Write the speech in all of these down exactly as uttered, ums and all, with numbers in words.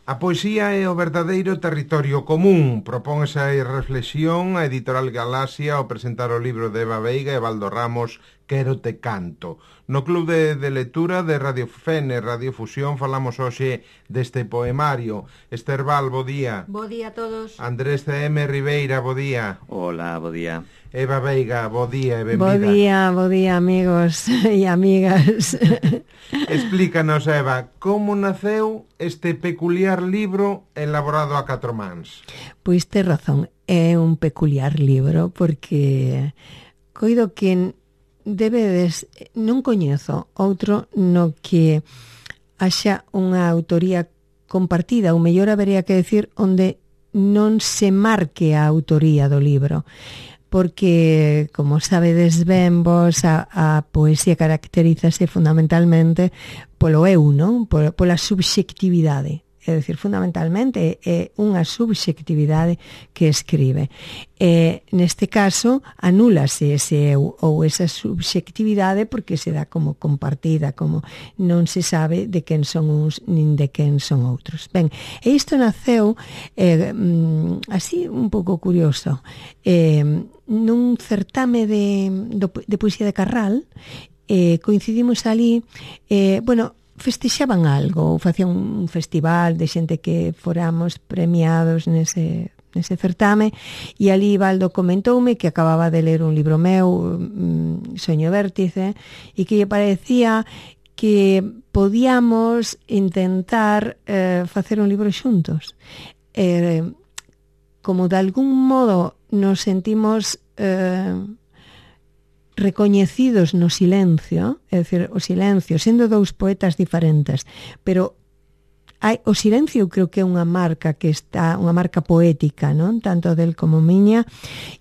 A poesía é o verdadeiro territorio común. Propón esa reflexión a Editorial Galaxia ao presentar o libro de Eva Veiga e Baldo Ramos, Quero te canto. No Club de, de Lectura de Radio Fene, Radio Fusión, falamos hoxe deste poemario. Esther Val, bo día. Bo día a todos. Andrés C M Ribeira, bo día. Hola, bo día. Eva Veiga, bo día e benvida. Bo día, bo día, amigos e amigas. Explícanos, Eva, como naceu este peculiar libro elaborado a catro mans? Pois tes razón, é un peculiar libro porque coido que debedes, non coñezo outro no que haxa unha autoría compartida, ou mellor habería que decir onde non se marque a autoría do libro, porque, como sabedes ben vos, a, a poesía caracterízase fundamentalmente polo eu, non? Por, pola subxectividade. É dicir, fundamentalmente é unha subxectividade que escribe. E, neste caso, anúlase ese eu ou esa subxectividade porque se dá como compartida, como non se sabe de quen son uns nin de quen son outros. Ben, e isto naceu eh, así un pouco curioso. Eh, nun certame de, de poesía de Carral, eh, coincidimos ali, eh, bueno, festexaban algo, facían un festival de xente que foramos premiados nese, nese certame, e ali Baldo comentoume que acababa de ler un libro meu, Soño Vértice, e que lle parecía que podíamos intentar eh, facer un libro xuntos. Eh, como de algún modo nos sentimos eh, recoñecidos no silencio, é dicir, o silencio, sendo dous poetas diferentes, pero hai, o silencio eu creo que é unha marca que está, unha marca poética, non? Tanto del como miña,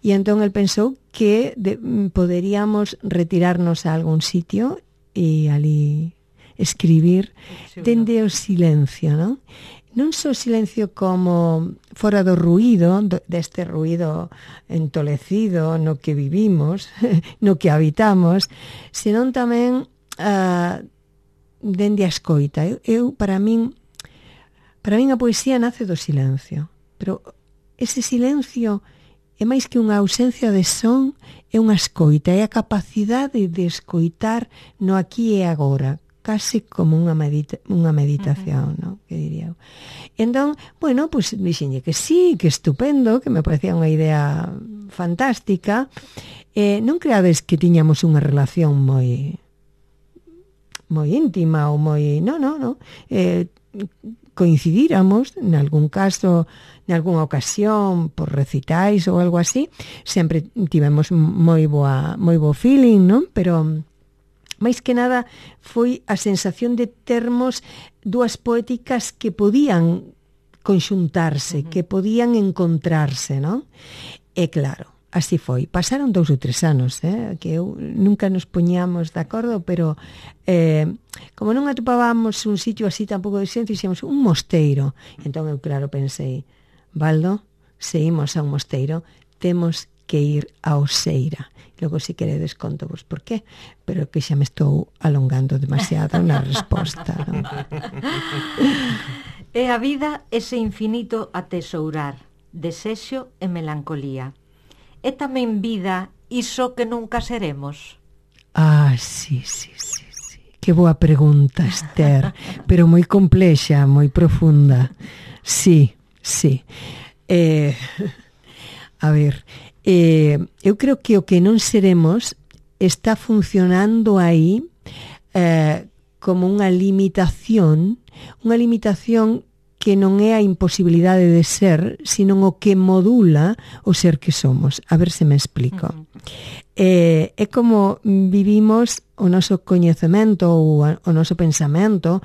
e entón el pensou que de, poderíamos retirarnos a algún sitio e ali escribir dende o silencio, non? Non só silencio como fora do ruído, deste ruído entolecido no que vivimos, no que habitamos, senón tamén uh, dende a escoita. Eu, eu, para min, para min a poesía nace do silencio, pero ese silencio é máis que unha ausencia de son, é unha escoita, é a capacidade de escoitar no aquí e agora, case como unha, medita, unha meditación, uh-huh. ¿no? Que diría eu. Entón, bueno, pues dixenlle que sí, que estupendo, que me parecía unha idea fantástica. Eh, non creades que tiñamos unha relación moi moi íntima ou moi... Non, non, non. Eh, coincidíramos, en algún caso, en algunha ocasión, por recitais ou algo así, sempre tivemos moi boa, moi bo feeling, non? Pero... máis que nada foi a sensación de termos dúas poéticas que podían conxuntarse, uh-huh. que podían encontrarse, non? E claro, así foi. Pasaron dous ou tres anos, eh? Que eu, nunca nos poñíamos de acordo, pero eh, como non atopábamos un sitio así tampouco de silencio, dixemos un mosteiro. Entón eu, claro, pensei, Baldo, se imos a un mosteiro, temos que ir a Oseira. Logo, se queredes, conto vos por qué, pero que xa me estou alongando demasiado na resposta, non? É a vida ese infinito a tesourar, desexo e melancolía. É tamén vida iso que nunca seremos? Ah, sí, sí, sí, sí. Que boa pregunta, Esther, pero moi complexa, moi profunda. Sí, sí. Eh, a ver... Eh, eu creo que o que non seremos está funcionando aí eh, como unha limitación, unha limitación que non é a imposibilidade de ser, sino o que modula o ser que somos. A ver se me explico. Uh-huh. Eh, é como vivimos o noso coñecemento ou o noso pensamento,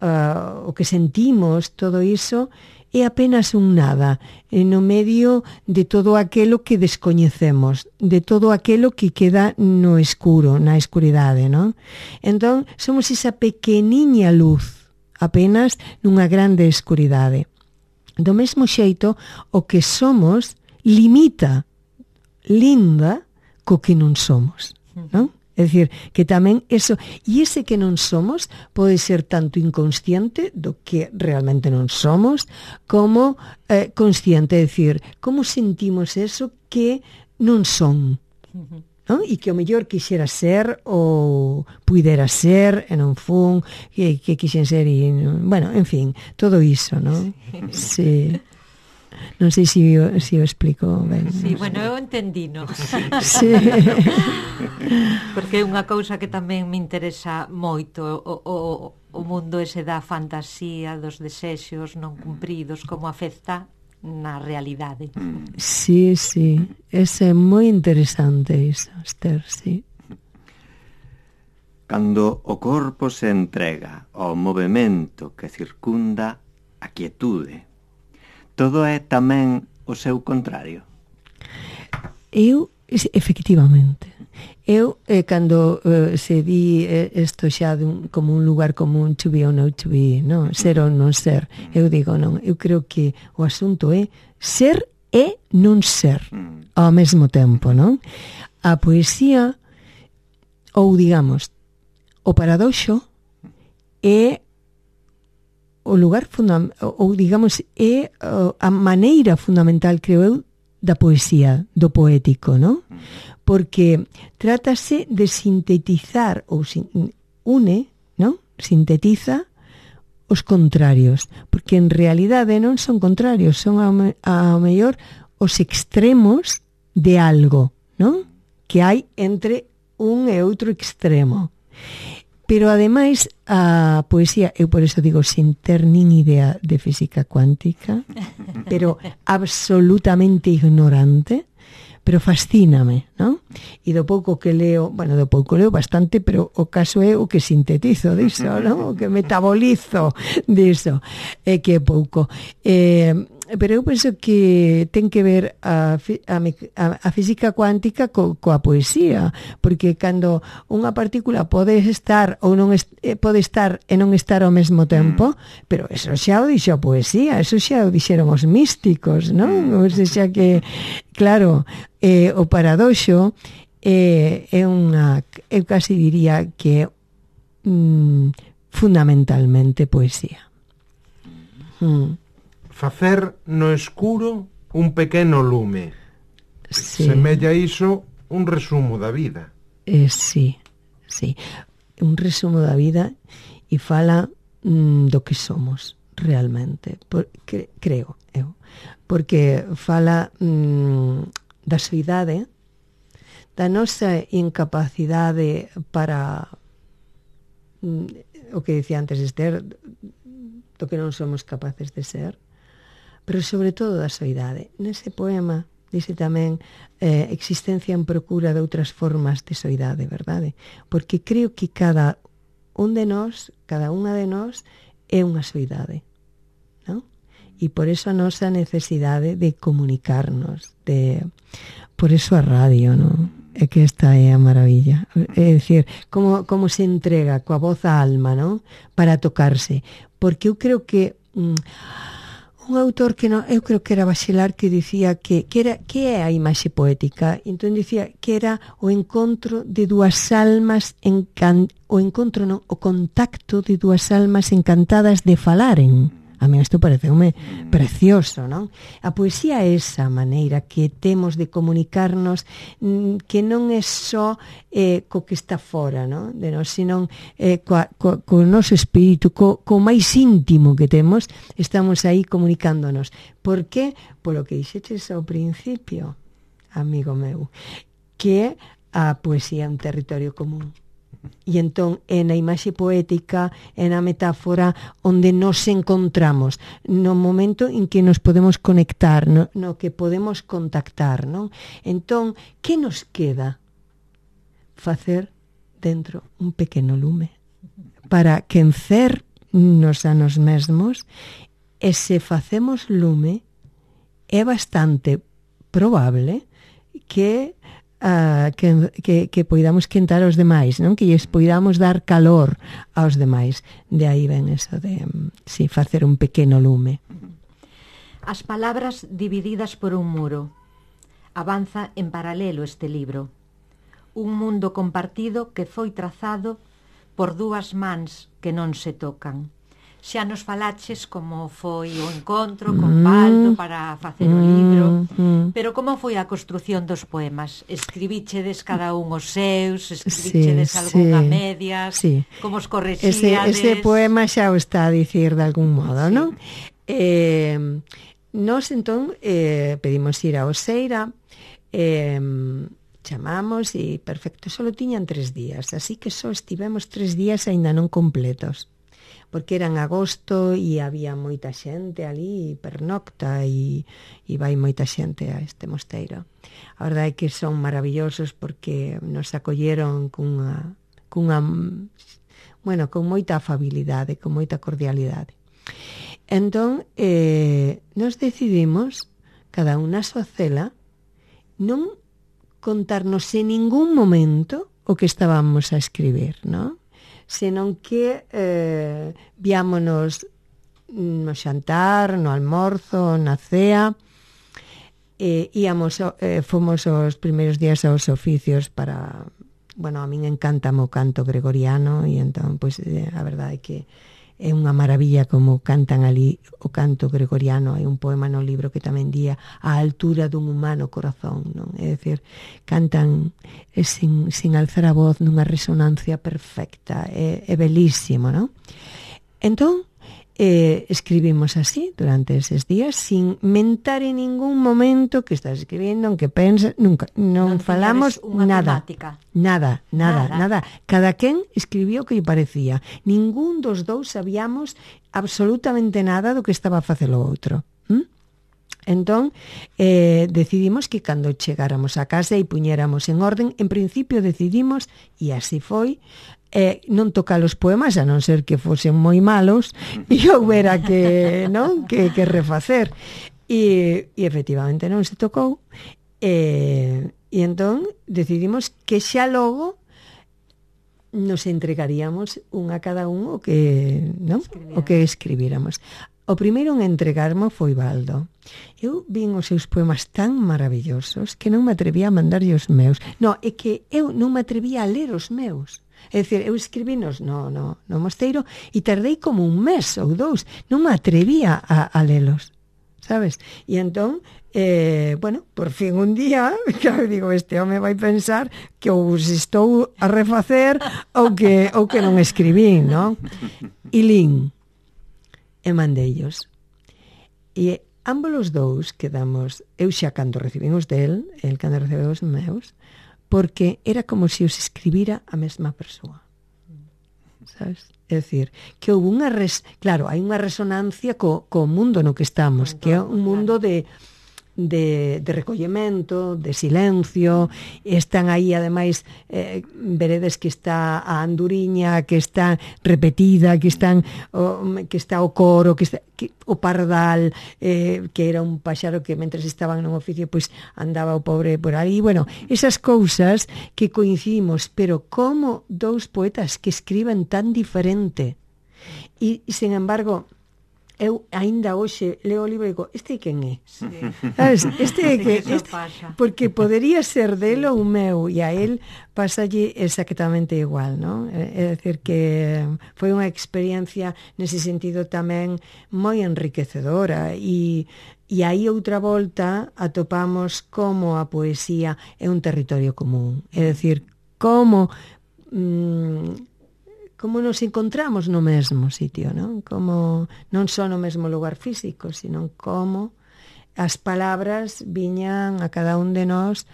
uh, o que sentimos, todo iso, é apenas un nada, no medio de todo aquelo que descoñecemos, de todo aquelo que queda no escuro, na escuridade, non? Entón, somos esa pequeniña luz, apenas nunha grande escuridade. Do mesmo xeito, o que somos limita, linda, co que non somos, non? É dicir, que tamén eso, e ese que non somos pode ser tanto inconsciente do que realmente non somos, como eh, consciente, é dicir, como sentimos eso que non son, non? E que o mellor quixera ser ou puidera ser e non fun, que, que quixen ser e, bueno, en fin, todo iso, non? Sí. Non sei se o, se o explico ben. Sí, bueno, eu entendino. Sí. Porque é unha cousa que tamén me interesa moito, o, o, o mundo ese da fantasía, dos desexos non cumpridos, como afecta na realidade. Sí, sí, ese é moi interesante iso, Esther, sí. Cando o corpo se entrega ao movemento que circunda a quietude, todo é tamén o seu contrario. Eu, efectivamente, eu, eh, cando eh, se di eh, isto xa dun, como un lugar común, to be or not to be, no? Ser ou non ser, eu digo non, eu creo que o asunto é ser e non ser ao mesmo tempo, non? A poesía, ou digamos, o paradoxo é o lugar fundamental, ou digamos, é a maneira fundamental, creo eu, da poesía, do poético, non? Porque trátase de sintetizar, ou sin, une, non? Sintetiza os contrarios, porque en realidade non son contrarios, son ao, ao mellor os extremos de algo, non? Que hai entre un e outro extremo. Pero ademais a poesía, eu por eso digo sin ter nin idea de física cuántica, pero absolutamente ignorante, pero fascíname, non? E do pouco que leo, bueno, do pouco leo bastante, pero o caso é o que sintetizo diso, non? O que metabolizo diso, é que é pouco. Eh, pero eu penso que ten que ver a, a, a física cuántica co, coa poesía, porque cando unha partícula pode estar ou non est, pode estar e non estar ao mesmo tempo, mm. pero eso xa o dixo a poesía, eso xa o dixeron os místicos, non? Ou seja que, claro, eh, o paradoxo eh, é unha, eu casi diría que mm, fundamentalmente poesía. Mm. Facer no escuro un pequeno lume. Sí. Semella iso un resumo da vida. Eh, sí, sí. Un resumo da vida e fala mm, do que somos realmente. Por, cre, creo, eu. Porque fala mm, da soidade, da nosa incapacidade para mm, o que dicía antes Esther, do que non somos capaces de ser, pero sobre todo da soidade. Nese poema dice tamén eh, existencia en procura de outras formas de soidade, verdade? Porque creo que cada un de nós, cada unha de nós é unha soidade, non? E por eso a nosa necesidade de comunicarnos, de por eso a radio, non? É que esta é a maravilla. É dicir, como, como se entrega coa voz á alma, non? Para tocarse. Porque eu creo que mm, un autor que non, eu creo que era Bachelard, que dicía que, que, era, que é a imaxe poética. Entón dicía que era o encontro de dúas almas encan, o encontro non, o contacto de dúas almas encantadas de falaren. A mí isto pareceume precioso, non? A poesía é esa maneira que temos de comunicarnos, que non é só eh, co que está fora, non? De nós, senón eh, co, co, co noso espírito, co, co máis íntimo que temos, estamos aí comunicándonos. Por que? Polo que dixeches ao principio, amigo meu, que a poesía é un territorio común. E entón é na imaxe poética, é na metáfora onde nos encontramos, no momento en que nos podemos conectar, no, no que podemos contactar, non? Entón, que nos queda? Facer dentro un pequeno lume para quencernos a nos mesmos, e se facemos lume é bastante probable que Uh, que, que, que poidamos quentar aos demais, non? Que lles poidamos dar calor aos demais. De aí ven eso de, si, sí, facer un pequeno lume. As palabras divididas por un muro. Avanza en paralelo este libro. un mundo compartido que foi trazado por dúas mans que non se tocan. Xa nos falaches como foi o encontro con Baldo para facer o libro, pero como foi a construción dos poemas? Escribíchedes cada un os seus, escribíchedes sí, algún a sí, medias, sí. como os Ese, correxíades? ese poema xa o está a dicir de algún modo, sí. Non? Eh, nos entón eh, pedimos ir a Oseira, eh, chamamos e perfecto, só tiñan tres días, así que só estivemos tres días aínda non completos, porque era en agosto e había moita xente ali, pernocta e, e vai moita xente a este mosteiro. A verdade é que son maravillosos porque nos acolleron cunha, cunha bueno, con moita afabilidade, con moita cordialidade. Entón, eh, nos decidimos, cada un na súa cela, non contarnos en ningún momento o que estábamos a escribir, non? Senón que eh, viámonos no xantar, no almorzo, na cea, e íamos, eh, fomos os primeiros días aos oficios para, bueno, a min encanta o canto gregoriano e entón, pois, eh, a verdade é que é unha maravilla como cantan ali o canto gregoriano. Hai un poema no libro que tamén día a altura dun humano corazón, non? É dicir, cantan sin, sin alzar a voz nunha resonancia perfecta, é, é belísimo, non? Entón, eh, escribimos así durante eses días sin mentar en ningún momento que estás escribindo, en que pensas, nunca, non, non falamos nada, nada, nada, nada, nada. Cada quen escribiu o que lle parecía. Ningún dos dous sabíamos absolutamente nada do que estaba a facer o outro. ¿Mm? Entón, eh, decidimos que cando chegáramos a casa e puñéramos en orden, en principio decidimos, e así foi, eh, non tocar os poemas, a non ser que fosen moi malos e houbera que, non, que, que refacer. E, e efectivamente non se tocou. E, e entón decidimos que xa logo nos entregaríamos un a cada un o que, non? O que escribíramos. O primeiro en entregarmo foi Baldo. Eu vin os seus poemas tan maravillosos que non me atrevía a mandarlle os meus. No, é que eu non me atrevía a ler os meus. É dicir, eu escribinos no, no, no mosteiro e tardei como un mes ou dous. Non me atrevía a, a lelos, sabes? E entón, eh, bueno, por fin un día, claro, digo, este home vai pensar que ou se estou a refacer ou que, ou que non escribín, non? E lin, e mandeillos. E ambos os dous quedamos, eu xa cando recibín os del, el cando recibeu os meus, porque era como se os escribira a mesma persoa, sabes? É dicir, que houve unha res... claro, hai unha resonancia co, co mundo no que estamos, que é un mundo de de, de recollemento, de silencio. Están aí, ademais, eh, veredes que está a anduriña, que está repetida, que están o, que está o coro, que está que, o pardal, eh, que era un paxaro que mentres estaban nun oficio, pois andaba o pobre por aí. Bueno, esas cousas que coincidimos, pero como dous poetas que escriben tan diferente. E, e sen embargo, eu aínda hoxe leo o libro e digo, este quen é? Sí. ¿Sabes? Este é que, este, porque podería ser dele ou meu, e a él pasalle exactamente igual, non? É dicir que foi unha experiencia nese sentido tamén moi enriquecedora, e e aí outra volta atopamos como a poesía é un territorio común, é dicir, como mmm, como nos encontramos no mesmo sitio, non? Como non só no mesmo lugar físico, sino como as palabras viñan a cada un de nós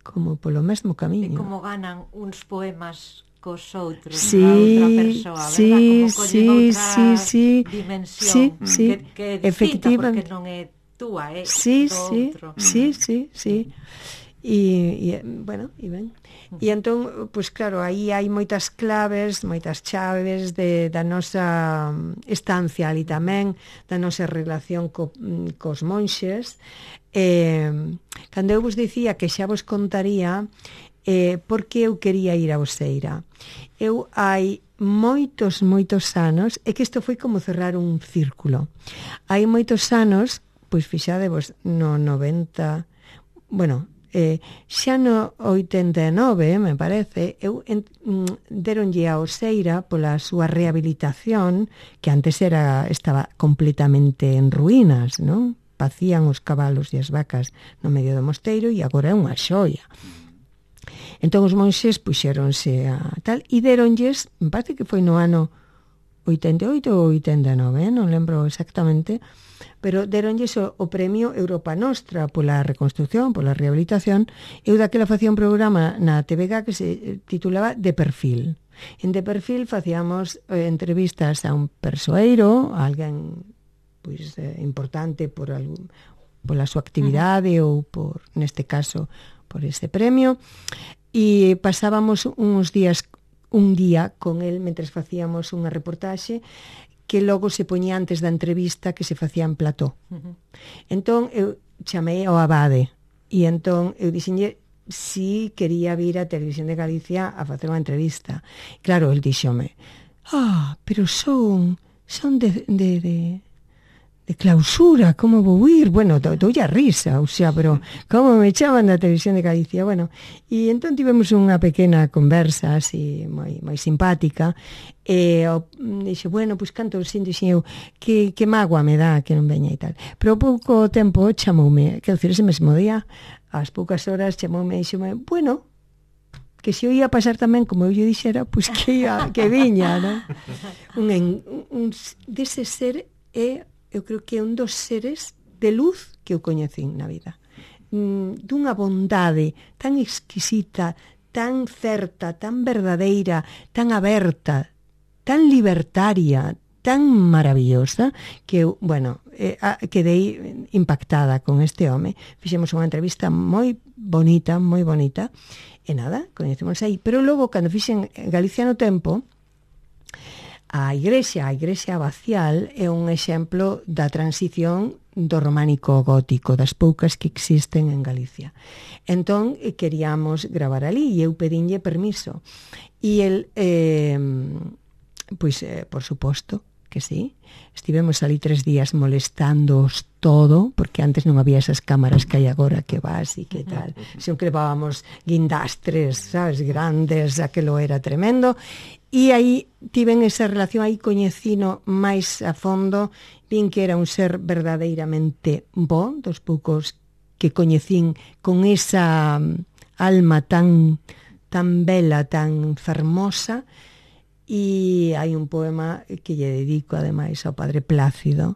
como polo mesmo camiño. E como ganan uns poemas cos outros, sí, outra persoa, sí, verdad? Como sí, outra sí, sí, dimensión, sí, sí, que, que é distinta porque non é túa, é sí, do sí, outro. Sí, sí, sí. E, e bueno, e ben. E entón, pois claro, aí hai moitas claves, moitas chaves de, da nosa estancia ali tamén, da nosa relación co, cos monxes. Eh, cando eu vos dicía que xa vos contaría eh, por que eu quería ir a Oseira. Eu hai moitos, moitos anos, é que isto foi como cerrar un círculo. Hai moitos anos, pois fixadevos, no noventa, bueno, Eh, xa no oitenta e nove, me parece, eu en, mm, deronlle a Oseira pola súa rehabilitación, que antes era estaba completamente en ruínas, non? Pacían os cabalos e as vacas no medio do mosteiro e agora é unha xoia. Entón os monxes puxéronse a tal e deronlles, me parece que foi no ano oitenta e oito ou oitenta e nove, eh? Non lembro exactamente, pero deronlles o, o premio Europa Nostra pola reconstrucción, pola rehabilitación. Eu daquela facía un programa na T V G que se titulaba De Perfil. En De Perfil facíamos eh, entrevistas a un persoeiro, a alguén pois, eh, importante por algún, pola súa actividade uh-huh. ou por, neste caso, por ese premio, e pasábamos uns días, un día con el mentres facíamos unha reportaxe que logo se poñía antes da entrevista que se facía en plató. Uh-huh. Entón, eu chamei ao abade, e entón eu dixenlle si quería vir a Televisión de Galicia a facer unha entrevista. Claro, el dixome, ah, pero son, son de, de, de, de clausura, como vou ir? Bueno, doulle a risa, o sea, pero como me chaman da Televisión de Galicia? Bueno, e entón tivemos unha pequena conversa así moi, moi simpática, e o, dixe, bueno, pois canto sin dixen eu, que, que mágoa me dá que non veña e tal. Pero pouco tempo chamoume, quero dicir, ese mesmo día, ás poucas horas chamoume e dixeme, bueno, que se eu ia pasar tamén como eu lle dixera, pois que ia, que viña, non? Un, un, un dese ser é, eu creo que é un dos seres de luz que eu coñecín na vida. Mm, dunha bondade tan exquisita, tan certa, tan verdadeira, tan aberta, tan libertaria, tan maravillosa, que eu, bueno, eh, quedei impactada con este home. Fixemos unha entrevista moi bonita, moi bonita, e nada, coñecemos aí. Pero logo, cando fixen Galicia no Tempo, a igrexa, a igrexa abacial, é un exemplo da transición do románico ao gótico, das poucas que existen en Galicia. Entón, queríamos gravar ali, e eu pedinlle permiso. E el... Eh, Pois, eh, por suposto que sí. Estivemos ali tres días molestándoos todo, porque antes non había esas cámaras que hai agora que vas e que tal. Sempre levábamos guindastres, sabes, grandes, aquilo era tremendo. E aí tiven esa relación, aí coñecino máis a fondo, vin que era un ser verdadeiramente bo, dos poucos que coñecín con esa alma tan, tan bela, tan fermosa. E hai un poema que lle dedico ademais ao Padre Plácido,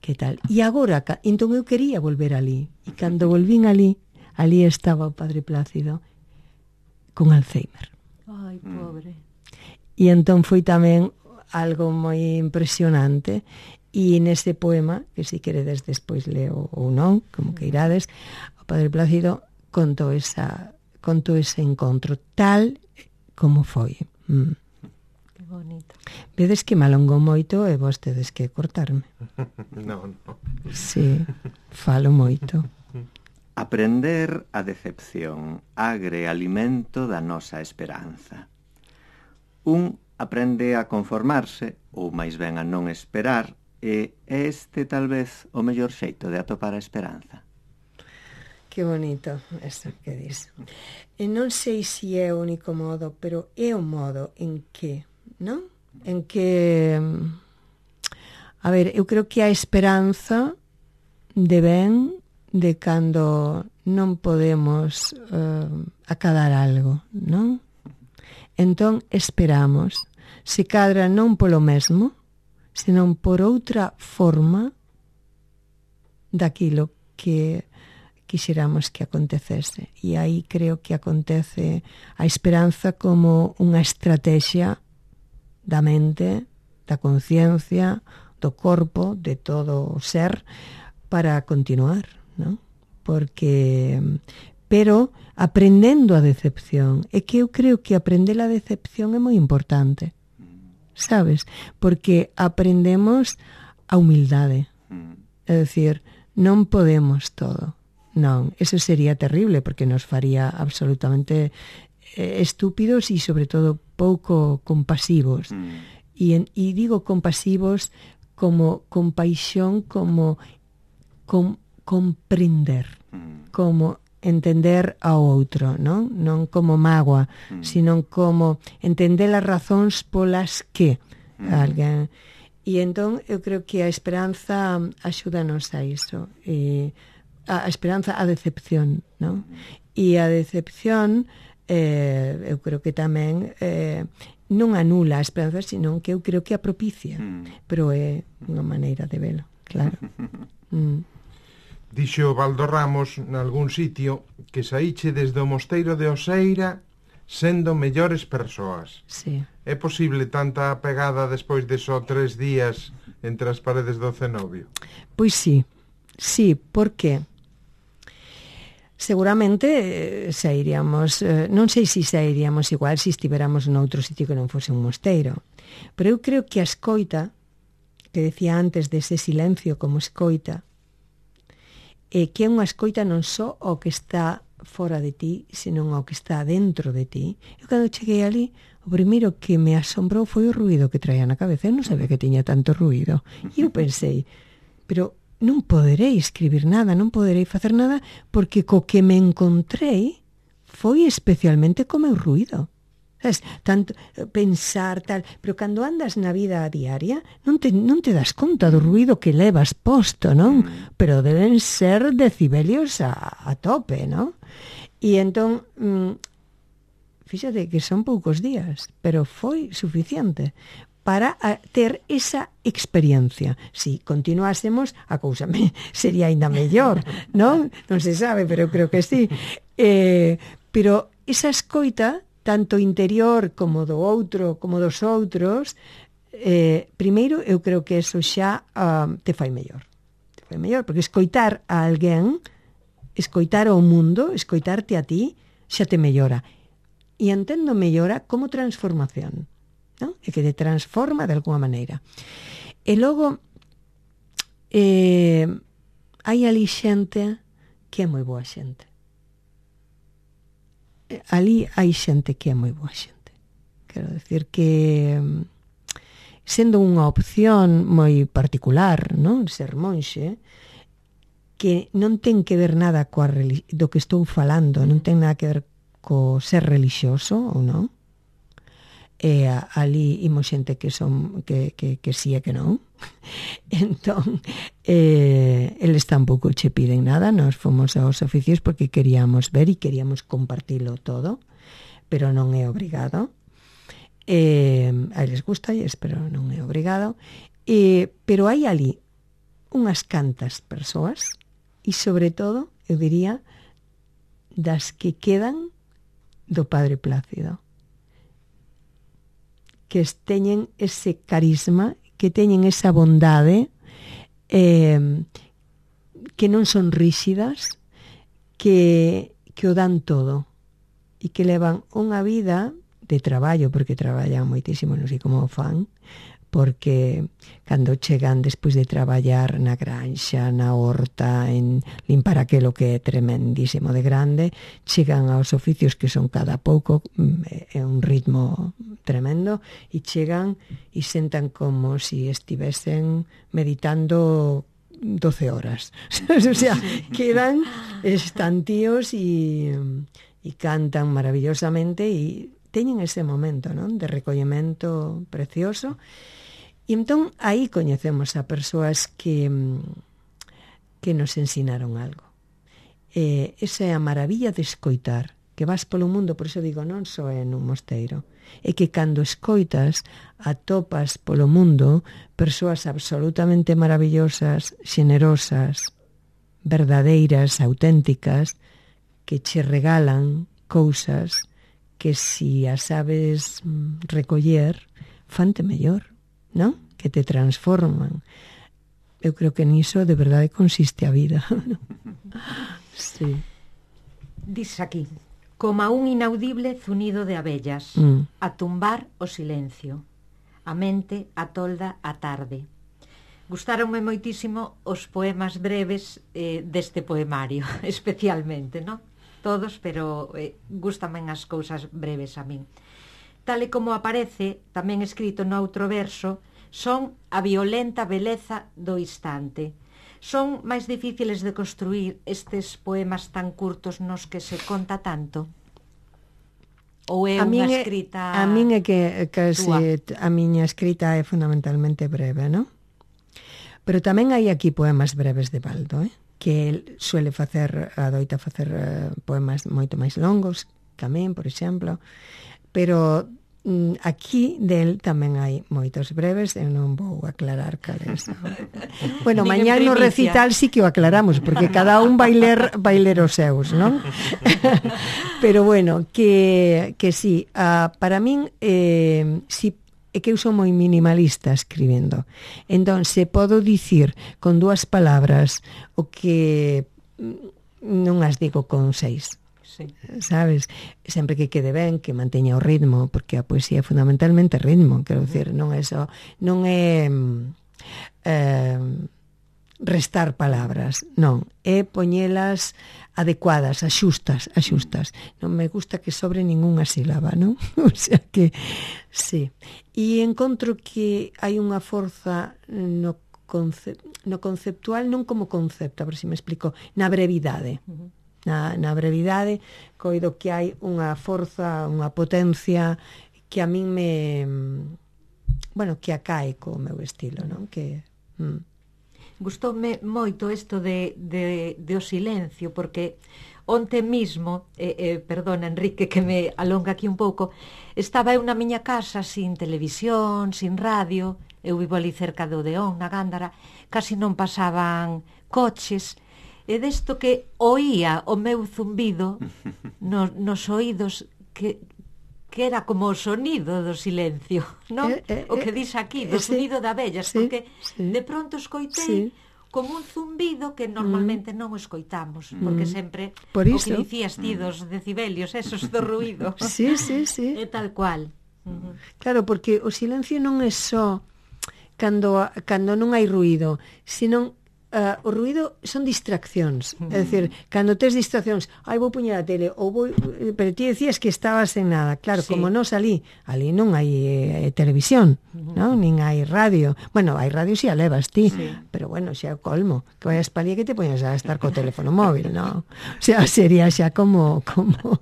que tal. E agora, entón eu quería volver ali, e cando volvín ali, ali estaba o Padre Plácido con Alzheimer. Ai, pobre. E entón foi tamén algo moi impresionante, e nese poema, que se queredes despois leo ou non, como que irades, o Padre Plácido contou esa, contou ese encontro tal como foi. Mm. Bonito. Vedes que me alongou moito e vos tedes que cortarme. Non, non. Sí, falo moito. Aprender a decepción, agre alimento da nosa esperanza. Un aprende a conformarse, ou máis ben a non esperar, e este tal vez o mellor xeito de atopar a esperanza. Que bonito eso que dis. E non sei se é o único modo, pero é o modo en que, non? En que, a ver, eu creo que a esperanza devén de cando non podemos uh, acadar algo, non? Entón esperamos, se cadra non polo mesmo, senón por outra forma daquilo que quixeramos que acontecese. E aí creo que acontece a esperanza como unha estrategia da mente, da conciencia, do corpo, de todo o ser, para continuar, non? Porque, pero aprendendo a decepción, é que eu creo que aprender a decepción é moi importante, sabes? Porque aprendemos a humildade, é dicir, non podemos todo, non, eso sería terrible, porque nos faría absolutamente estúpidos e sobre todo pouco compasivos. Mm. E, e digo compasivos como compaixón, como com, comprender, mm. como entender ao outro, non? Non como mágoa, mm. sino como entender as razóns polas que mm. alguén. E entón eu creo que a esperanza axúdanos a iso. E a esperanza a decepción, non? E a decepción eh, eu creo que tamén eh, non anula a esperanza, sino que eu creo que a propicia. Mm. Pero é unha maneira de velo, claro. mm. Dixo Baldo Ramos nalgún sitio que saíche desde o mosteiro de Oseira sendo mellores persoas. Sí. É posible tanta pegada despois de só tres días entre as paredes do cenobio? Pois sí, sí, por que? Seguramente eh, sairíamos, eh, non sei se sairíamos igual se estiveramos noutro sitio que non fose un mosteiro, pero eu creo que a escoita, que decía antes dese silencio como escoita, e que é unha escoita non só ao que está fora de ti, senón ao que está dentro de ti. Eu cando cheguei ali, o primeiro que me asombrou foi o ruído que traía na cabeza. Eu non sabía que tiña tanto ruído. E eu pensei, pero non poderei escribir nada, non poderei facer nada, porque co que me encontrei foi especialmente co meu ruído. Sabes, tanto pensar tal, pero cando andas na vida diaria non te, non te das conta do ruído que levas posto, non? Pero deben ser decibelios a, a tope, non? E entón mm, fíxate que son poucos días, pero foi suficiente para a, ter esa experiencia. Si continuásemos, a cousa me, sería aínda mellor, non? Non se sabe, pero eu creo que sí. Eh, pero esa escoita tanto interior como do outro, como dos outros, eh, primeiro eu creo que eso xa uh, te fai mellor. Te fai mellor, porque escoitar a alguén, escoitar ao mundo, escoitarte a ti, xa te mellora. E entendo mellora como transformación, non? E que te transforma de alguma maneira. E logo, eh, hai ali xente que é moi boa xente. Ali hai xente que é moi boa xente. Quero decir que sendo unha opción moi particular, non, ser monxe, que non ten que ver nada coa do que estou falando, non ten nada que ver co ser relixioso ou non. E ali imos xente que son que, que, que sí e que non. Entón eh, eles tampouco che piden nada, nós fomos aos oficios porque queríamos ver e queríamos compartilo todo, pero non é obrigado. Eh, a eles gusta, pero non é obrigado. Eh, pero hai ali unhas cantas persoas e sobre todo, eu diría, das que quedan do Padre Plácido, que teñen ese carisma, que teñen esa bondade, eh, que non son ríxidas, que, que o dan todo e que levan unha vida de traballo, porque traballan moitísimo, non sei como o fan, porque cando chegan despois de traballar na granxa, na horta, en limpar aquelo que é tremendísimo de grande, chegan aos oficios que son cada pouco, é un ritmo tremendo, e chegan e sentan como si estivesen meditando doce horas. O sea, quedan estantíos e, e cantan maravillosamente e teñen ese momento, non, de recollemento precioso. E entón aí coñecemos a persoas que, que nos ensinaron algo. Eh, esa é a maravilla de escoitar, que vas polo mundo, por iso digo, non só é nun mosteiro, é que cando escoitas atopas polo mundo persoas absolutamente maravillosas, xenerosas, verdadeiras, auténticas, que che regalan cousas que si as sabes recoller, fante mellor, non? Que te transforman. Eu creo que niso de verdade consiste a vida. Sí. Diz aquí, como a un inaudible zunido de abellas, mm. a tumbar o silencio, a mente atolda a tarde. Gustaronme moitísimo os poemas breves eh, deste poemario, especialmente, non? Todos, pero eh, gustamen as cousas breves a min. Tal e como aparece, tamén escrito no outro verso, son a violenta beleza do instante. Son máis difíciles de construir estes poemas tan curtos nos que se conta tanto? Ou é a unha min escrita é, a min é que, que túa? se, a miña escrita é fundamentalmente breve, non? Pero tamén hai aquí poemas breves de Baldo, eh? Que el suele facer, adoita facer uh, poemas moito máis longos, tamén, por exemplo, pero mm, aquí del tamén hai moitos breves, eu non vou aclarar cales. Bueno, Nin en mañá no primicia. recital sí que o aclaramos, porque cada un vai ler, vai ler os seus, non? Pero bueno, que, que sí, uh, para min, eh, si é que eu son moi minimalista escribindo. Entón, se podo dicir con dúas palabras o que non as digo con seis. Sí. Sabes? Sempre que quede ben, que manteña o ritmo, porque a poesía é fundamentalmente ritmo, quero dicir, non é só, non é eh, restar palabras, non, é poñelas adecuadas, axustas, axustas. Non me gusta que sobre ningunha sílaba, non? O sea que, sí. E encontro que hai unha forza no, conce, no conceptual, non como concepto, a ver se me explico, na brevidade. Uh-huh. Na, na brevidade, coido que hai unha forza, unha potencia que a min me, bueno, que acae co meu estilo, non? Que... Mm. Gustoume moito isto de, de, de o silencio, porque onte mismo, eh, eh, perdona Enrique que me alonga aquí un pouco, estaba eu na miña casa sin televisión, sin radio, eu vivo ali cerca do Odeón, na Gándara, casi non pasaban coches, e desto que oía o meu zumbido no, nos oídos que... que era como o sonido do silencio, non? Eh, eh, o que dis aquí, do eh, sonido sí, de abellas, sí, porque sí, de pronto escoitei sí, como un zumbido que normalmente mm. non o escoitamos, mm. porque sempre Por o iso. que dicías ti dos decibelios, esos do ruido. Sí, sí, sí. É tal cual. Uh-huh. Claro, porque o silencio non é só cando, cando non hai ruido, senón Uh, o ruido son distraccións, uh-huh. É dicir, cando tes distraccións, ai, vou puñer a tele, ou vou, pero ti decías que estabas en nada, claro, sí. Como non salí, ali non hai eh, televisión, uh-huh. Non? Nin hai radio, bueno, hai radio si a levas ti, sí. Pero bueno, xa o colmo, que vayas pa ali que te poñas a estar co teléfono móvil, non? O sea, sería xa como como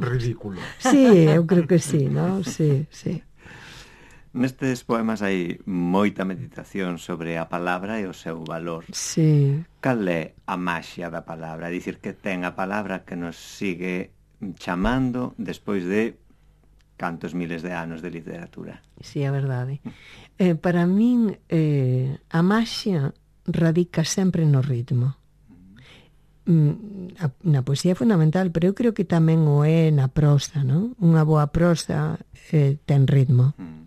ridículo. Sí, eu creo que sí, non? Sí, sí. Nestes poemas hai moita meditación sobre a palabra e o seu valor. Sí. Cal é a maxia da palabra? Dicir que ten a palabra que nos sigue chamando despois de cantos miles de anos de literatura. Sí, é verdade. Eh, para min, eh, a maxia radica sempre no ritmo. Mm, a, na poesía é fundamental, pero eu creo que tamén o é na prosa, non? Unha boa prosa eh, ten ritmo. Mm.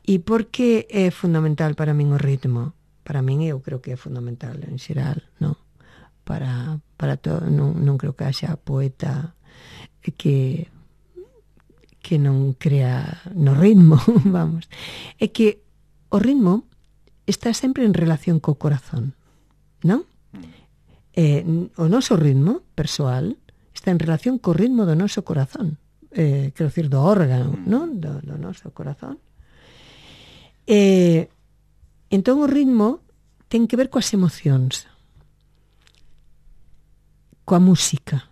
E por que é fundamental para min o ritmo? Para min eu creo que é fundamental en xeral, non? Para, para todo, non, non creo que haxa poeta que que non crea no ritmo, vamos. É que o ritmo está sempre en relación co corazón, non? Eh, o noso ritmo persoal está en relación co ritmo do noso corazón, eh, quero dicir, do órgano, non? Do, do noso corazón. Eh, entón o ritmo ten que ver coas emocións, coa música.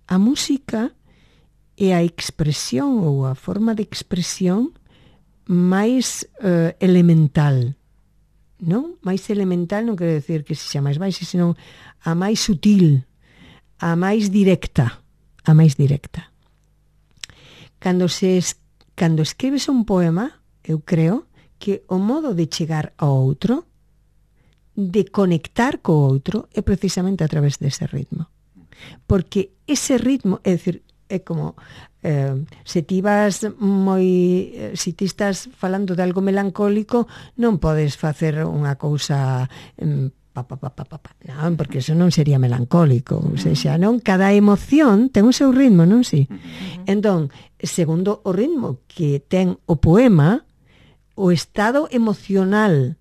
A música é a expresión ou a forma de expresión máis eh, elemental, non? Mais elemental non quero decir que sexa máis baixa, senón a máis sutil, a máis directa, a máis directa. Cando se es, cando escribes un poema, eu creo que o modo de chegar ao outro, de conectar co outro, é precisamente a través dese ritmo. Porque ese ritmo, é dicir, é como eh, se ti vas moi eh, se ti estás falando de algo melancólico, non podes facer unha cousa eh, pa, pa, pa, pa, pa, pa. Non, porque eso non sería melancólico, ou seja, non, cada emoción ten o seu ritmo, non si? Entón, segundo o ritmo que ten o poema, o estado emocional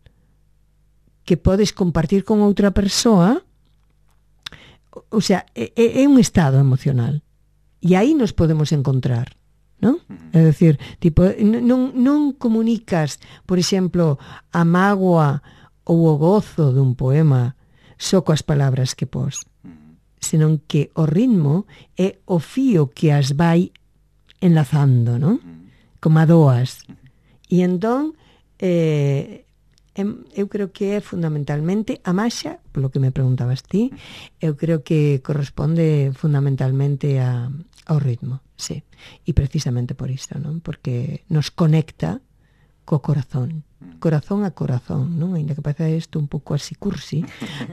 que podes compartir con outra persoa, o sea, é, é un estado emocional. E aí nos podemos encontrar, non? É dicir, tipo, non, non comunicas, por exemplo, a mágoa ou o gozo dun poema só coas palabras que pos, senón que o ritmo é o fío que as vai enlazando, non? Como a doas. E entón, eh, eu creo que é fundamentalmente a maxa, polo que me preguntabas ti, eu creo que corresponde fundamentalmente a, ao ritmo, sí. E precisamente por isto, non? Porque nos conecta co corazón, corazón a corazón, non? Ainda que parece isto un pouco así cursi,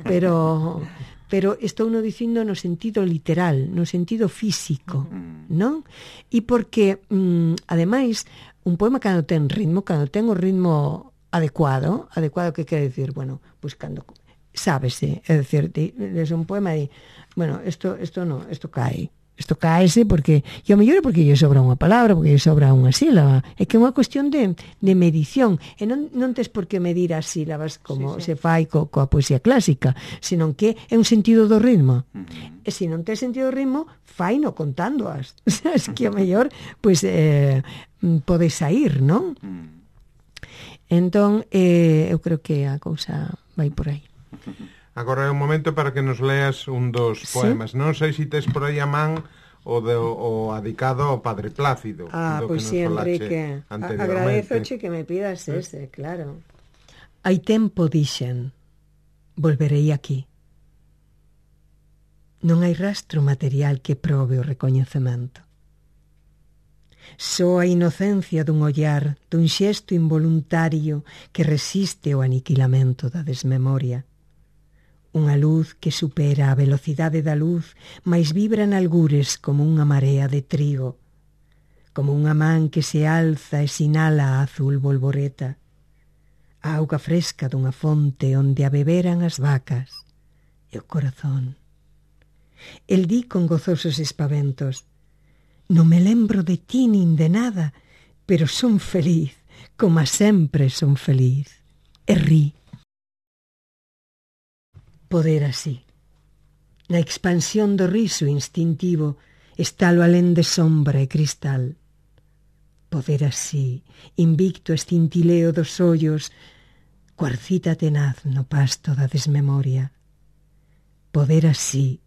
pero pero estou no dicindo no sentido literal, no sentido físico, non? E porque, mm, ademais, un poema cando ten ritmo, cando ten o ritmo adecuado, adecuado que quere decir, bueno, pois cando sábese, é dicir, es un poema e, bueno, isto isto no, isto cae, isto caese porque, e ao mellor é porque lle sobra unha palabra, porque lle sobra unha sílaba, é que é unha cuestión de, de medición, e non, non tes por que medir as sílabas como sí, sí. se fai co, coa poesía clásica, senón que é un sentido do ritmo. Uh-huh. E se non tes sentido do ritmo, faino contándoas. Es que ao mellor, pois, eh, pode sair, non? Uh-huh. Entón, eh, eu creo que a cousa vai por aí. Agora é un momento para que nos leas un dos poemas. ¿Sí? Non sei se tes por aí a man o, de, o adicado ao Padre Plácido. Ah, pois pues sí, Enrique. Agradezoche que me pidas ¿sí? ese, claro. Hai tempo dixen, volverei aquí. Non hai rastro material que probe o recoñecemento. Só a inocencia dun ollar, dun xesto involuntario que resiste o aniquilamento da desmemoria. Unha luz que supera a velocidade da luz, mais vibra en algures como unha marea de trigo, como unha man que se alza e sinala a azul bolboreta, a auga fresca dunha fonte onde a beberan as vacas e o corazón. El di con gozosos espaventos, non me lembro de ti nin de nada, pero son feliz, como sempre son feliz, e ri. Poder así. Na expansión do riso instintivo está lo alén de sombra e cristal. Poder así, invicto escintileo dos ollos, cuarcita tenaz no pasto da desmemoria. Poder así,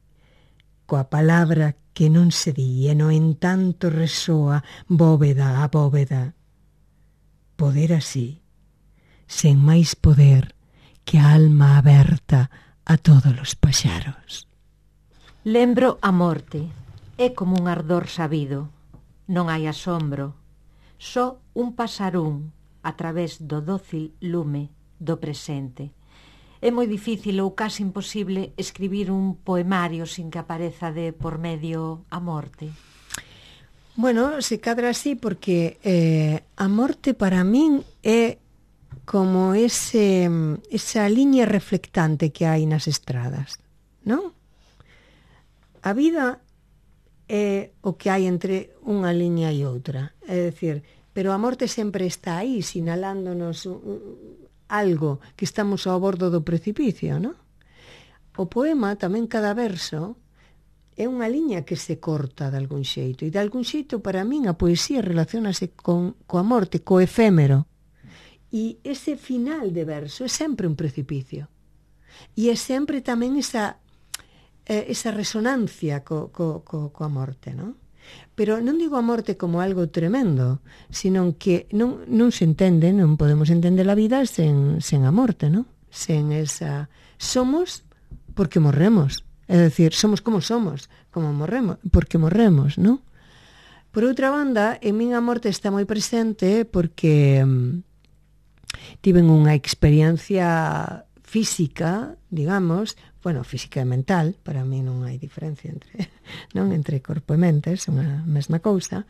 coa palabra que non se di e no entanto resoa bóveda a bóveda. Poder así, sen máis poder que a alma aberta a todos os paxaros. Lembro a morte, é como un ardor sabido, non hai asombro, só un pasarún a través do dócil lume do presente. É moi difícil ou casi imposible escribir un poemario sin que apareza de por medio a morte. Bueno, se cadra así porque eh, a morte para min é como ese, esa liña reflectante que hai nas estradas, non? A vida é o que hai entre unha liña e outra, é dicir, pero a morte sempre está aí, sinalándonos algo que estamos ao bordo do precipicio, non? O poema, tamén cada verso, é unha liña que se corta de algún xeito, e de algún xeito para min a poesía relacionase con coa morte, co efémero. E ese final de verso é sempre un precipicio. E é sempre tamén esa, eh, esa resonancia co, co, co, coa morte, non? Pero non digo a morte como algo tremendo, sino que non, non se entende, non podemos entender a vida sen, sen a morte, non? Sen esa... Somos porque morremos. É dicir, somos como somos, como morremos, porque morremos, non? Por outra banda, en min a morte está moi presente porque... tiven unha experiencia física, digamos, bueno, física e mental, para mí non hai diferencia entre, non, entre corpo e mente, é unha mesma cousa,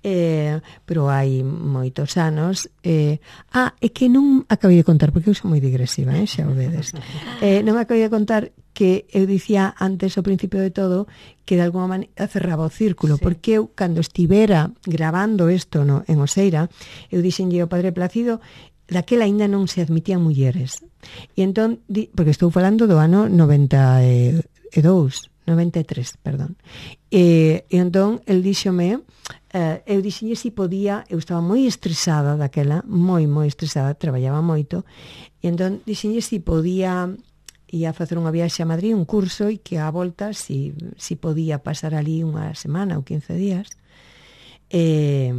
eh, pero hai moitos anos, eh, ah, é que non acabei de contar, porque eu sou moi digresiva, eh, xa o vedes, eh, non acabei de contar que eu dicía antes, ao principio de todo, que de alguma maneira cerraba o círculo, sí. Porque eu, cando estivera grabando isto no, en Oseira, eu dixenlle ao Padre Plácido, daquela aínda non se admitían mulleres. E entón, porque estou falando do ano noventa e dous, noventa e tres, perdón. E, e entón, el díxome, uh, eu dixenlle si podía, eu estaba moi estresada daquela, moi, moi estresada, traballaba moito, e entón dixenlle si podía ia a facer unha viaxe a Madrid, un curso, e que a volta si, si podía pasar ali unha semana ou quince días. E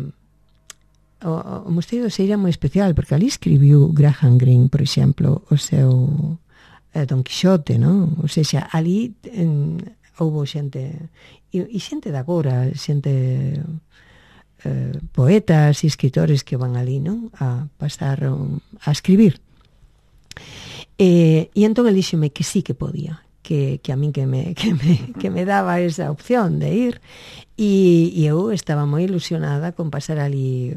o, o Mosteiro do Seira é moi especial, porque ali escribiu Graham Greene, por exemplo, o seu eh, Don Quixote, non? Ou seja, ali en, houbo xente, e, e xente de agora, xente eh, poetas e escritores que van ali, non? A pasar, a escribir. E, e entón el díxome que sí que podía, que, que a min que me, que, me, que me daba esa opción de ir, e, e eu estaba moi ilusionada con pasar ali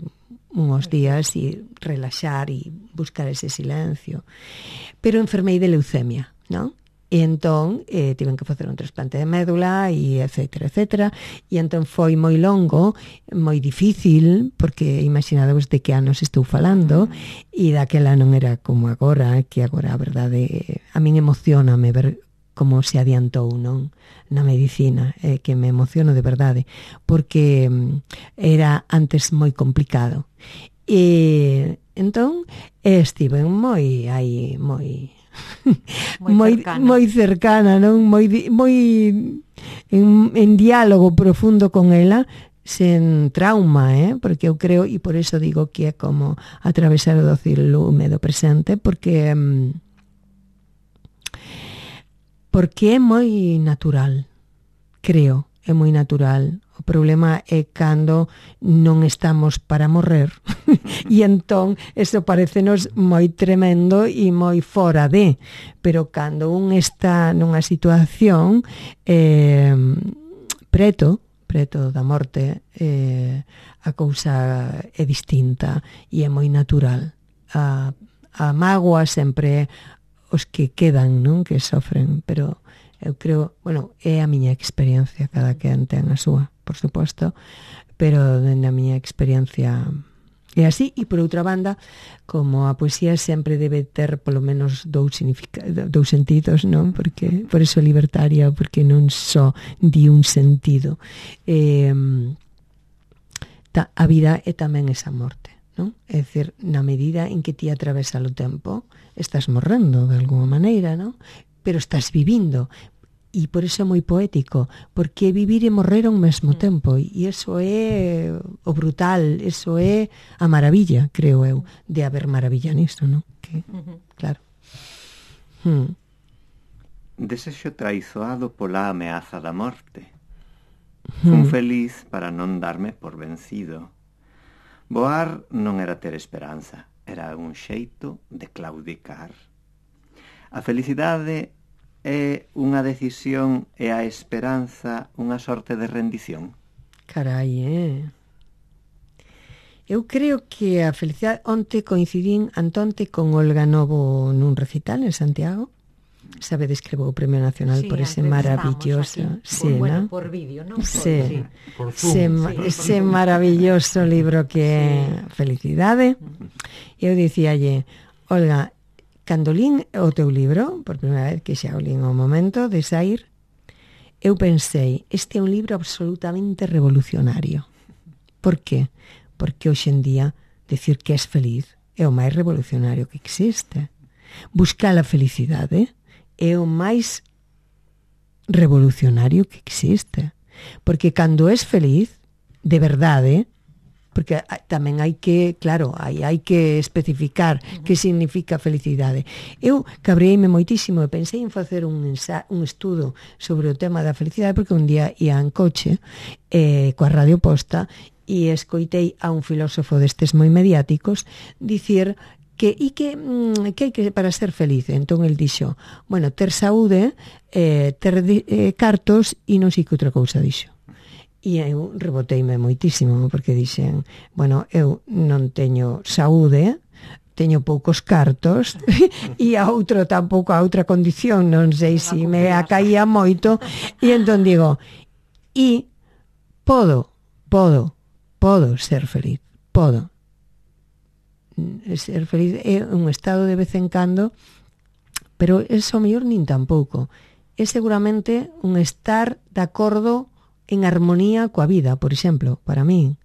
uns días e relaxar e buscar ese silencio, pero enfermei de leucemia, non? E entón eh, tiven que facer un trasplante de médula e etcétera, etcétera, e entón foi moi longo, moi difícil, porque imaginadevos de que anos estou falando, e daquela non era como agora, que agora a verdade a min emocioname ver como se adiantou, non? Na medicina, eh, que me emociono de verdade, porque era antes moi complicado. E entón estive moi aí, moi moi cercana, moi cercana, non? Moi moi en, en diálogo profundo con ela, sen trauma, eh? Porque eu creo, e por eso digo que é como atravesar o doce lume do presente, porque porque é moi natural, creo, é moi natural. O problema é cando non estamos para morrer e entón eso parecenos moi tremendo e moi fora de, pero cando un está nunha situación eh, preto, preto da morte, eh, a cousa é distinta e é moi natural. A, a mágoa sempre os que quedan, non? Que sofren, pero eu creo, bueno, é a miña experiencia, cada quen ten a súa, por suposto, pero na miña experiencia é así. E por outra banda, como a poesía sempre debe ter polo menos dous significados, dous sentidos, non? Porque por eso é libertaria, porque non só di un sentido. Eh, ta, a vida é tamén esa morte, non? É dicir, na medida en que ti atravesas o tempo, estás morrendo de alguma maneira, non? Pero estás vivindo, e por eso é moi poético, porque vivir e morrer ao mesmo tempo, e iso é o brutal, iso é a maravilla, creo eu, de haber maravilla nisto, non? Que, claro. Hmm. Desexo traizoado pola ameaza da morte. Fun hmm. feliz para non darme por vencido. Voar non era ter esperanza, era un xeito de claudicar. A felicidade é unha decisión e a esperanza unha sorte de rendición. Carai, eh? Eu creo que a felicidade... Onte coincidín antonte con Olga Novo nun recital en Santiago. Sabe, descrevou o Premio Nacional sí, por ese maravilloso... Sí, por, bueno, por vídeo, non? Sí, sí. Por Zoom, ese, sí. ese maravilloso libro que é sí. Felicidade. Eu dicíalle, Olga, cando lín o teu libro, por primeira vez que xa o lín o momento de sair, eu pensei, este é un libro absolutamente revolucionario. Por qué? Porque hoxe en día decir que és feliz é o máis revolucionario que existe. Buscar a felicidade é o máis revolucionario que existe. Porque cando és feliz, de verdade, porque tamén hai que, claro, hai, hai que especificar uh-huh. que significa felicidade. Eu cabreime moitísimo e pensei en facer un, ensa, un estudo sobre o tema da felicidade, porque un día ia en coche eh, coa Radio Posta e escoitei a un filósofo destes moi mediáticos dicir que e que, que hai que para ser feliz. Entón el dixo, bueno, ter saúde, eh, ter eh, cartos e non sei que outra cousa dixo. E eu reboteime moitísimo, porque dixen, bueno, eu non teño saúde, teño poucos cartos, e a outro tampouco a outra condición, non sei se me acaía moito, e entón digo, e podo, podo, podo ser feliz, podo. Ser feliz é un estado de vez en cando, pero eso mellor nin tampouco. É seguramente un estar de acordo en armonía coa vida, por exemplo, para min.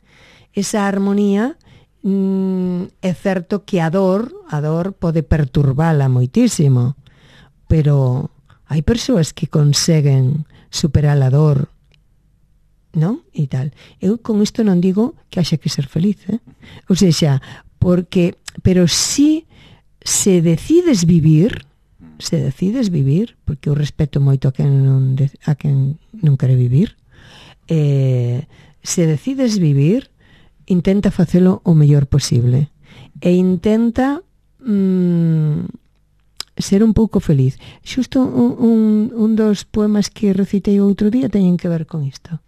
esa armonía mm, é certo que a dor, a dor pode perturbala moitísimo, pero hai persoas que conseguen superar a dor, non? E tal. Eu con isto non digo que haxa que ser feliz, eh? Ou seja, porque, pero si se decides vivir, se decides vivir, porque eu respeto moito a quen non, de, a quen non quere vivir, eh, se decides vivir, intenta facelo o mellor posible e intenta mm, ser un pouco feliz. Xusto un, un, un dos poemas que recitei outro día teñen que ver con isto.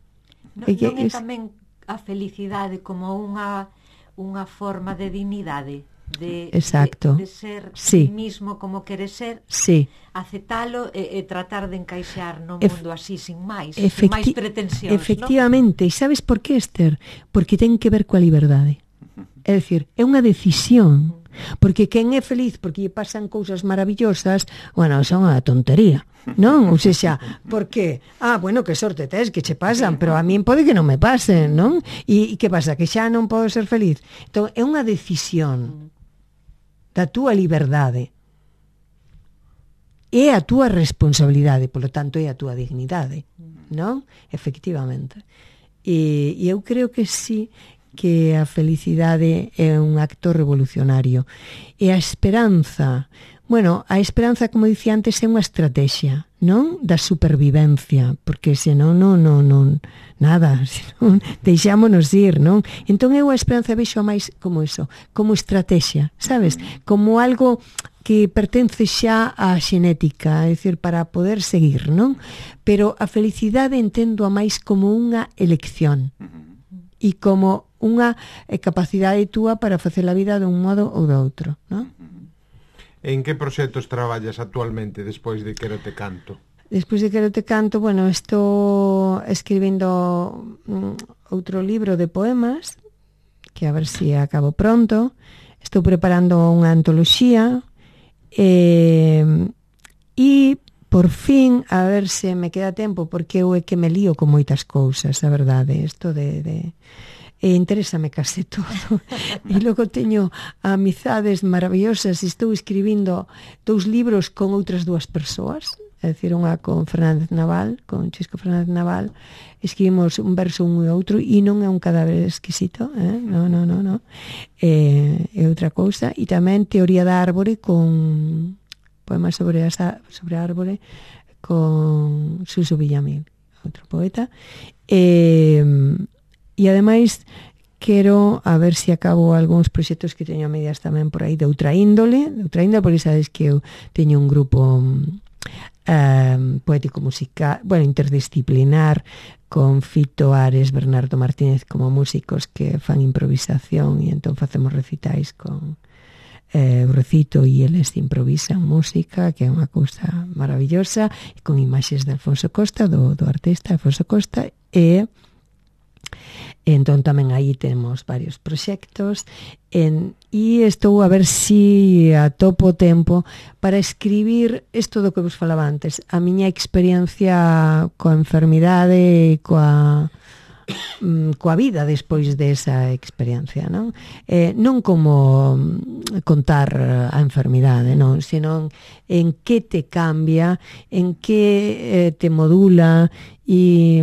Non, non é tamén a felicidade como unha unha forma de dignidade, de, Exacto. de, de ser sí. mismo como quere ser, sí. aceptalo e, e tratar de encaixar no Ef mundo así, sin máis, sin máis pretensións. Efectivamente, ¿no? E sabes por que, Esther? Porque ten que ver coa liberdade. É dicir, é unha decisión. Porque quen é feliz porque lle pasan cousas maravillosas, bueno, son a tontería, non? Ou seja, porque, ah, bueno, que sorte tes que che pasan, pero a min pode que non me pasen, non? E, e que pasa? Que xa non podo ser feliz? Entón, é unha decisión da túa liberdade. É a túa responsabilidade, polo tanto, é a túa dignidade, non? Efectivamente. E, e eu creo que sí, que a felicidade é un acto revolucionario. E a esperanza, bueno, a esperanza, como dicía antes, é unha estrategia, non? Da supervivencia, porque senón non, non, non, nada, senón deixámonos ir, non? Entón eu a esperanza vexo máis como eso, como estrategia, sabes? Como algo que pertence xa á xenética, é dicir, para poder seguir, non? Pero a felicidade entendo a máis como unha elección e como unha capacidade túa para facer a vida dun modo ou do outro, non? En que proxectos traballas actualmente despois de Quero te canto? Despois de Quero te canto, bueno, estou escribindo um, outro libro de poemas, que a ver se si acabo pronto. Estou preparando unha antoloxía e, e por fin, a ver se me queda tempo, porque eu é que me lío con moitas cousas, a verdade, isto de... de e interésame case todo. E logo teño amizades maravillosas e estou escribindo dous libros con outras dúas persoas, é dicir, unha con Fernández Naval, con Chisco Fernández Naval, escribimos un verso un e outro e non é un cadáver exquisito, eh? non, non, non, non. É, é outra cousa. E tamén Teoría da árbore con poemas sobre a, sobre a árbore con Suso Villamil, outro poeta. E E ademais quero a ver se acabo algúns proxectos que teño a medias tamén por aí de outra índole, de outra índole, porque sabes que eu teño un grupo um, poético musical, bueno, interdisciplinar, con Fito Ares, Bernardo Martínez como músicos que fan improvisación e entón facemos recitais con eh, eu recito e eles improvisan música, que é unha cousa maravillosa, e con imaxes de Alfonso Costa, do, do artista Alfonso Costa, e entón tamén aí temos varios proxectos en, e estou a ver si atopo tempo para escribir isto do que vos falaba antes, a miña experiencia coa enfermidade e coa coa vida despois desa experiencia, non? Eh, non como contar a enfermidade, non, senón en que te cambia, en que eh, te modula e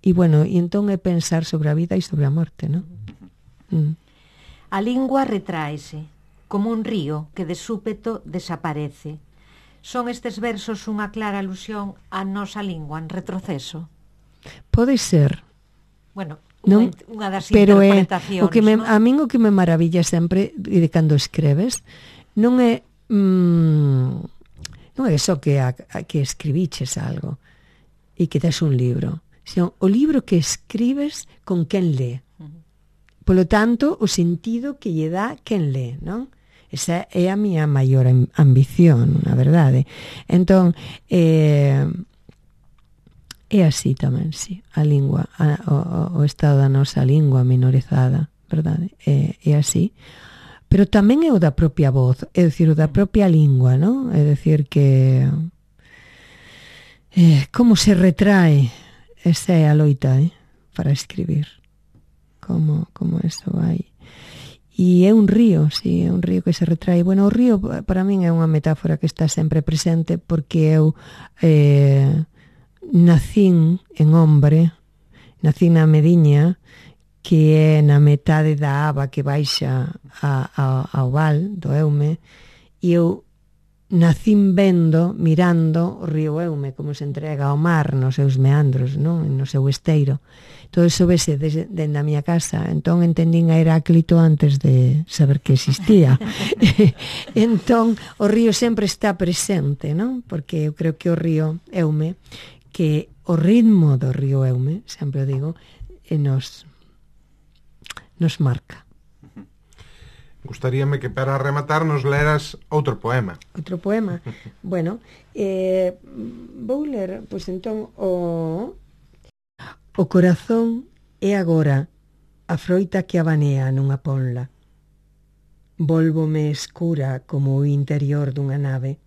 E, bueno, e entón é pensar sobre a vida e sobre a morte, non? Mm. A lingua retráese, como un río que de súpeto desaparece. Son estes versos unha clara alusión á nosa lingua en retroceso? Pode ser. Bueno, non? unha das pero interpretacións, é, o que me, non? a min o que me maravilla sempre de cando escreves non é mm, non é só que, a, a, que escribiches algo e que tes un libro, sino o libro que escribes con quen lee. Polo tanto, o sentido que lle dá quen lee, non? Esa é a miña maior ambición, na verdade. Entón, eh, é así tamén, sí, a lingua, a, o, o estado da nosa lingua minorizada, verdade? É, é así. Pero tamén é o da propia voz, é dicir, o da propia lingua, non? É dicir que eh, como se retrae. Esa é a loita, eh, para escribir. como, como eso vai. E é un río, sí, é un río que se retrae. Bueno, o río para min é unha metáfora que está sempre presente porque eu eh, nacín en hombre, nacín na Mediña, que é na metade da aba que baixa a, a, ao val do Eume, e eu nacín vendo, mirando o río Eume como se entrega ao mar nos seus meandros, non? No seu esteiro. Todo iso vese desde, desde a miña casa. Entón entendín a Heráclito antes de saber que existía. Entón o río sempre está presente, non? Porque eu creo que o río Eume, que o ritmo do río Eume, sempre o digo, e nos nos marca. Gustaríame que para rematar nos leras outro poema. Outro poema? Bueno, eh, vou ler, pois entón, o... O corazón é agora a froita que abanea nunha ponla. Vólvome escura como o interior dunha nave.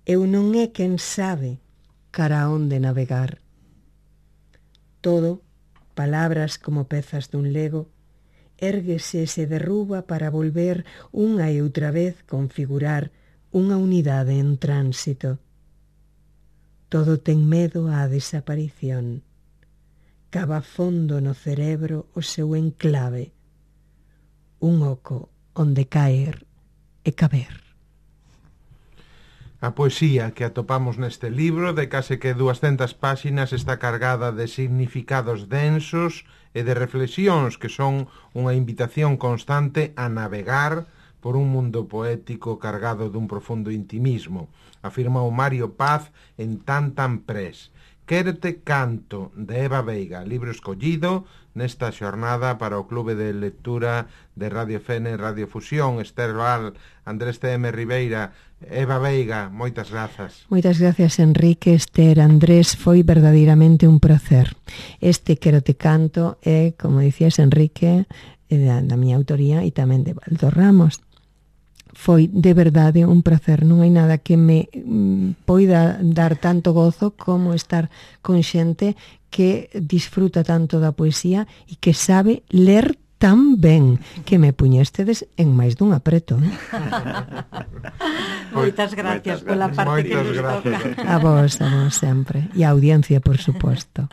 Eu non é quen sabe cara a onde navegar. Todo, palabras como pezas dun lego, érguese e se derruba para volver unha e outra vez configurar unha unidade en tránsito. Todo ten medo á desaparición. Cava fondo no cerebro o seu enclave, un oco onde caer e caber. A poesía que atopamos neste libro de case que duascentas páxinas está cargada de significados densos e de reflexións que son unha invitación constante a navegar por un mundo poético cargado dun profundo intimismo, afirma o Mario Paz en Tan Tan Press. Quérote canto, de Eva Veiga, libro escollido nesta xornada para o Clube de Lectura de Radio Fene, Radio Fusión. Esther Val, Andrés T M Ribeira, Eva Veiga, moitas grazas. Moitas gracias, Enrique, Esther, Andrés, foi verdadeiramente un placer. Este Quérote canto é, como dicías, Enrique, da, da miña autoría e tamén de Baldo Ramos. Foi de verdade un placer, non hai nada que me mm, poida dar tanto gozo como estar con xente que disfruta tanto da poesía e que sabe ler tan ben que me puñestedes en máis dun apreto. Eh? Moitas gracias pola parte que nos toca. A vos, a vos sempre. E a audiencia, por suposto.